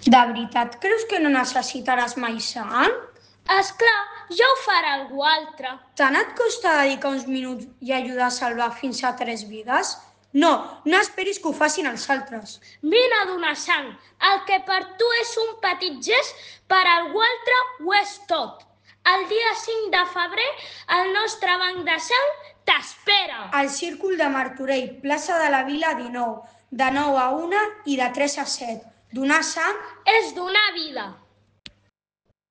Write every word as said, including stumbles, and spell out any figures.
De veritat creus que no necessitaràs mai sang? Esclar, ja ho farà algú altre. Tant et costa dedicar uns minuts i ajudar a salvar fins a tres vides? No, no esperis que ho facin els altres. Vine a donar sang. El que per tu és un petit gest, per algú altre ho és tot. El dia cinc de febrer, el nostre banc de sang t'espera. Al Círcul de Martorell, plaça de la Vila dinou, de nou a una i de tres a set. Donar sang és donar vida.